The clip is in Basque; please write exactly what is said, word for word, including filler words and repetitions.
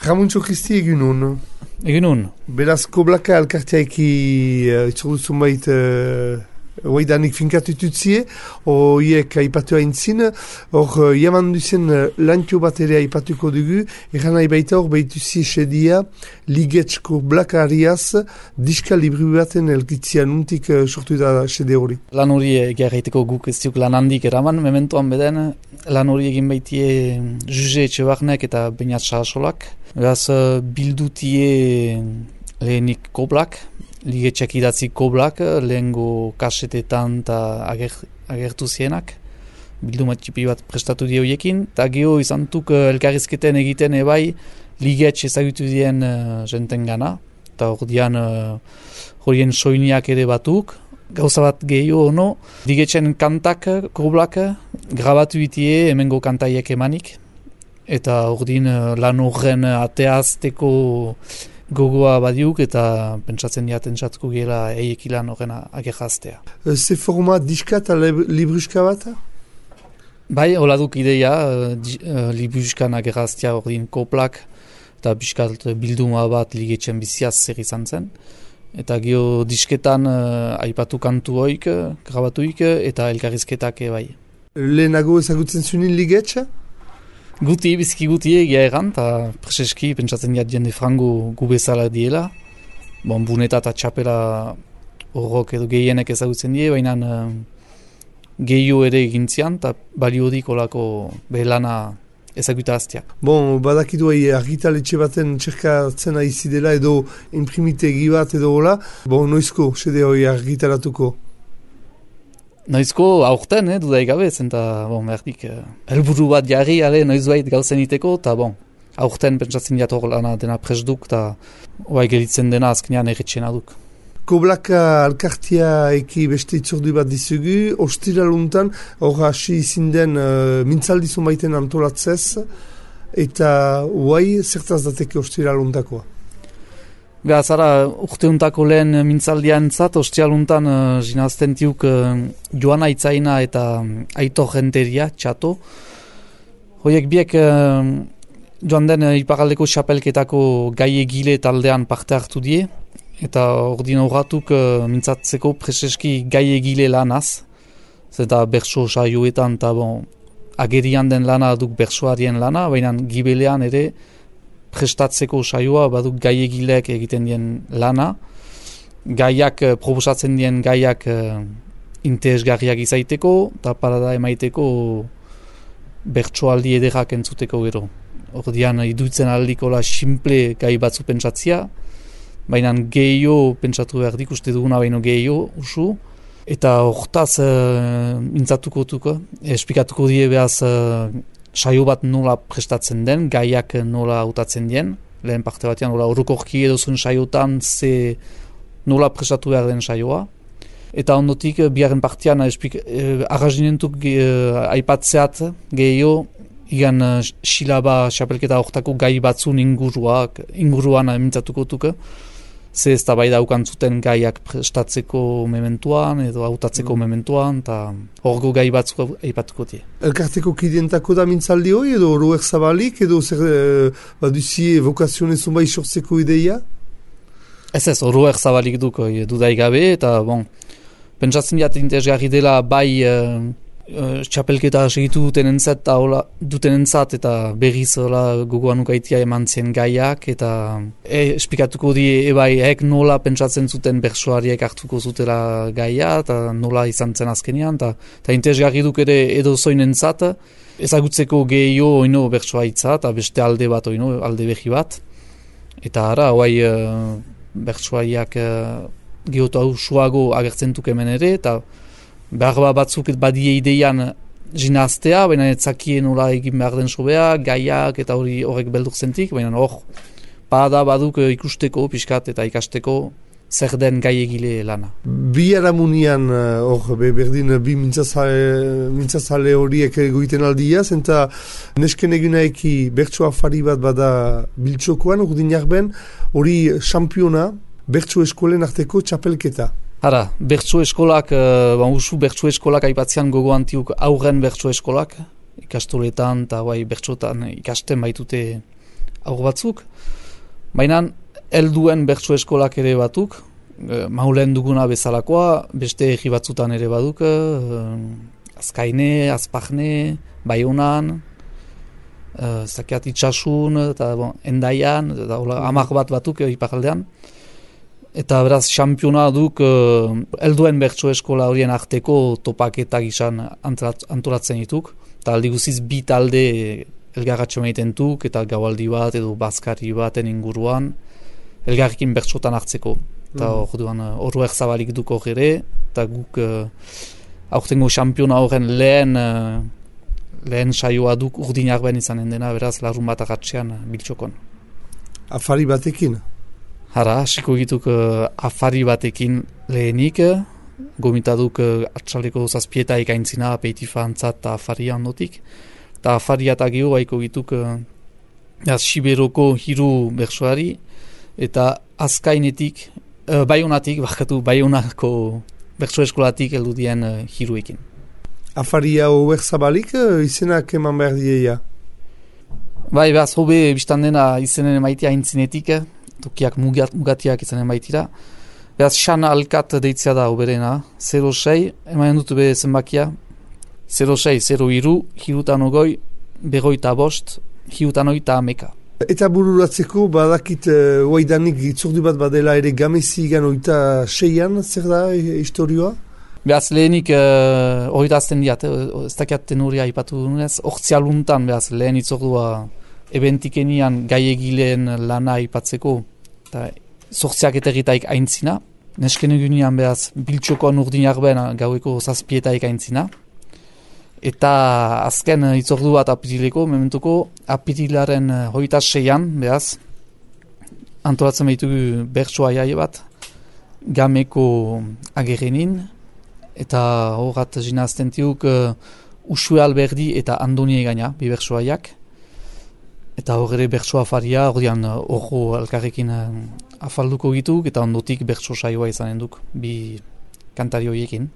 Ramuntxo Kristi egunon. Egunon. Beraz, Koblaka alkartiaiki uh, itzordu zunbait uh, oaidanik finkatututzie, horiek aipatu haintzin, hor uh, jaman duzen uh, lantio bat ere aipatuko dugu, eran nahi baita hor behituzi esedia Ligetx Koblaka ariaz diska libri baten elgitzia nuntik uh, sortu da sede hori. Lan hori egearreiteko guk ez diuk lan handik eraman, mementoan beden lan hori egin baitie Juge Etxebarnek eta Beñat Sarasolak. Beraz, bildutie lehenik Koblak, Ligetxak idatzi Koblak, lehengo kasetetan eta ager, agertu zienak. Bilduma txipi bat prestatu die horiekin, eta geho izantuk elkarrizketen egiten ebai Ligetx ezagutu dien uh, jenten gana, eta hor dian uh, horien soiniak ere batuk. Gauza bat gehiago ono, Ligetxen kantak Koblak grabatu itie hemengo kantaiek emanik. Eta ordin lan horren ateazteko gogoa badiuk eta pentsatzen diaten txatko gela eiek lan horren agerraztea. Ze forma diska eta libruska bat? Bai, hola duk ideia, libruskan agerraztea ordin Koblak eta biskat bilduma bat Ligetxen biziaz zer izan zen. Eta geho disketan uh, aipatu kantu hoik, grabatuik eta elkarrizketak bai. Lehenago ezagutzen zunin Ligetxa? Guti, biziki guti egia egan, eta preseski pentsatzen diat jende frango gu bezala diela. Bon, buneta eta txapela horrok edo gehienek ezagutzen die, baina uh, gehio ere egintzian, eta baliodik olako behelana ezaguta aztea. Bon, badakidu hai argitaletxe baten txerkatzen aizi dela edo imprimitegi bat edo hola. Bon, noizko, sede hori argitaratuko? Noizko aurten, eh, dudaik gabe, zenta, bon, merdik, eh, helburu bat jarri, ale, noizbait gauzen iteko, eta, bon, aurten pentsatzen diat hor lana dena presduk, eta oai gelitzen dena azkenean erretxena duk. Koblaka alkartia eki beste itzordu bat dizugu, ostiraluntan, hor hasi izin den uh, mintzaldi zunbaiten antolatzez, eta oai zertaz dateke ostiraluntakoa? Gazara, urteuntako lehen mintzaldian zat, ostialuntan uh, zinazten tiuk uh, Joan Aitzaina eta Aitor Renteria, txato. Hoiek biek uh, joan den uh, iparaldeko xapelketako gai egile taldean parte hartu die, eta ordin horratuk uh, mintzatzeko preseski gai egile lanaz, zeta berso saioetan, eta bon, agerian den lana duk bersoarien lana, baina gibelean ere prestatzeko saioa baduk gaiegileak egiten dien lana, gaiak, proposatzen dien gaiak uh, interesgarriak izaiteko, eta parada emaiteko bertsoaldi ederrak entzuteko gero. Ordian idutzen aldikola simple gai batzu pentsatzia, baina gehiago pentsatu behar dik, uste duguna baino gehiago usu, eta hortaz uh, mintzatuko tuko, esplikatuko die behaz uh, saio bat nola prestatzen den, gaiak nola hautatzen dien, lehen parte batean, nola orokorki edo zuen saiotan ze nola prestatu behar den saioa. Eta ondotik, biaren partean, eh, arrazinentuk eh, aipatzeat gehiago, igan eh, silaba xapelketa hortako gai batzun inguruak, inguruan mintzatuko tuke, ze ez da bai daukan zuten gaiak prestatzeko mementuan edo hautatzeko mm. mementuan, eta horgo gai batzuk aipatuko die. Elkarteko kidientako da mintzaldi hori edo Roer Zabalik edo zer eh, baduzi evokazioen zunbai sortzeko ideia? Ez ez, Roer Zabalik duk dudaik gabe, eta bon, pentsatzen diat interesgarri dela bai uh, uh, txapelketa segitu duten entzat, eta hola, duten entzat, eta berriz hola gogoan ukaitia eman zien gaiak, eta e, esplikatuko die ebai hek nola pentsatzen zuten bersoariek hartuko zutela gaia, eta nola izan zen azkenean, eta interesgarri duk ere edo zoin entzat, ezagutzeko gehiago oino bersoa itza, eta beste alde bat oino, alde behi bat, eta ara, hoai uh, bersoaiak uh, gehotu hau suago agertzen duk hemen ere, eta behar batzuk badie ideian zinaztea, baina etzakien nola egin behar den sobea, gaiak eta hori horrek beldur zentik, baina hor, bada baduk ikusteko, pixkat eta ikasteko zer den gai egile lana. Bi aramunian, hor, berdin, bi mintzazale, mintzazale horiek goiten aldia, zenta nesken egunaeki bertso afari bat bada biltxokoan, urdin jarben, hori xampiona, bertso eskolen arteko txapelketa. Hara, bertso eskolak, uh, usu bertso eskolak aipatzean gogo antiuk aurren bertso eskolak, ikastoletan eta bai bertsotan ikasten baitute aur batzuk, baina helduen bertso eskolak ere batuk, maulen duguna bezalakoa, beste egi batzutan ere baduk, Azkaine, Azpajne, Baionan, uh, zakiat itxasun, eta bon, Endaian, eta hola, amak bat batuk iparaldean. Eta beraz, xampiona duk uh, helduen bertso eskola horien arteko topaketak izan antolatzen dituk. Eta aldi guziz bi talde elgarratxo egiten duk, eta gaualdi bat edo bazkari baten inguruan, elgarrekin bertsotan hartzeko. Eta hor duan, horro erzabalik duk hor ere, eta guk uh, aurtengo xampiona horren lehen, uh, lehen saioa duk urdin arben izanen dena, beraz, larun bat agatxean uh, biltxokon. Afari batekin? Hara, hasiko egituk uh, afari batekin lehenik, uh, gomitaduk uh, atxaleko zazpieta ikaintzina, apeitifa antzat eta afaria ondotik. Eta afaria eta geho haiko egituk uh, Siberoko hiru bersoari, eta azkainetik, Uh, Baionatik, bakatu, Baionako bertso eskolatik heldu dien uh, hiruekin. Afaria hober zabalik uh, izenak eman behar dieia? Bai, behaz, hobe biztan dena izenen emaitia intzinetik, tokiak mugat, mugatiak izanen baitira. Behaz, xan alkat deitzea da hoberena, zero sei, emanen dut be zenbakia, zero sei, zero iru, hirutan ogoi, berroita bost, hirutan oita ameka. Eta bururatzeko, badakit uh, oaidanik itzordu bat badela ere gamezi gan oita seian, zer da historioa? Behaz, lehenik uh, oita azten diat, ez dakiat tenuria ipatu dunez, ortzialuntan, behaz, lehen itzordua ebentikenian gaiegileen lana ipatzeko, eta sortziak eterritaik aintzina, nesken egunean, behaz, biltxokoan urdin arben gaueko zazpietaik aintzina, eta azken itzordu bat apirileko, mementuko apirilaren hogeita seian, behaz, antolatzen behitugu bertsoa jaie bat, gameko agerrenin, eta horrat zinazten tiuk uh, Usue Alberdi eta Andoni egaina, bi bertsoaiak, eta hor ere bertsoa afaria, hor dian horro alkarrekin uh, afalduko gitu, eta ondotik bertso saioa izanen duk, bi kantari horiekin.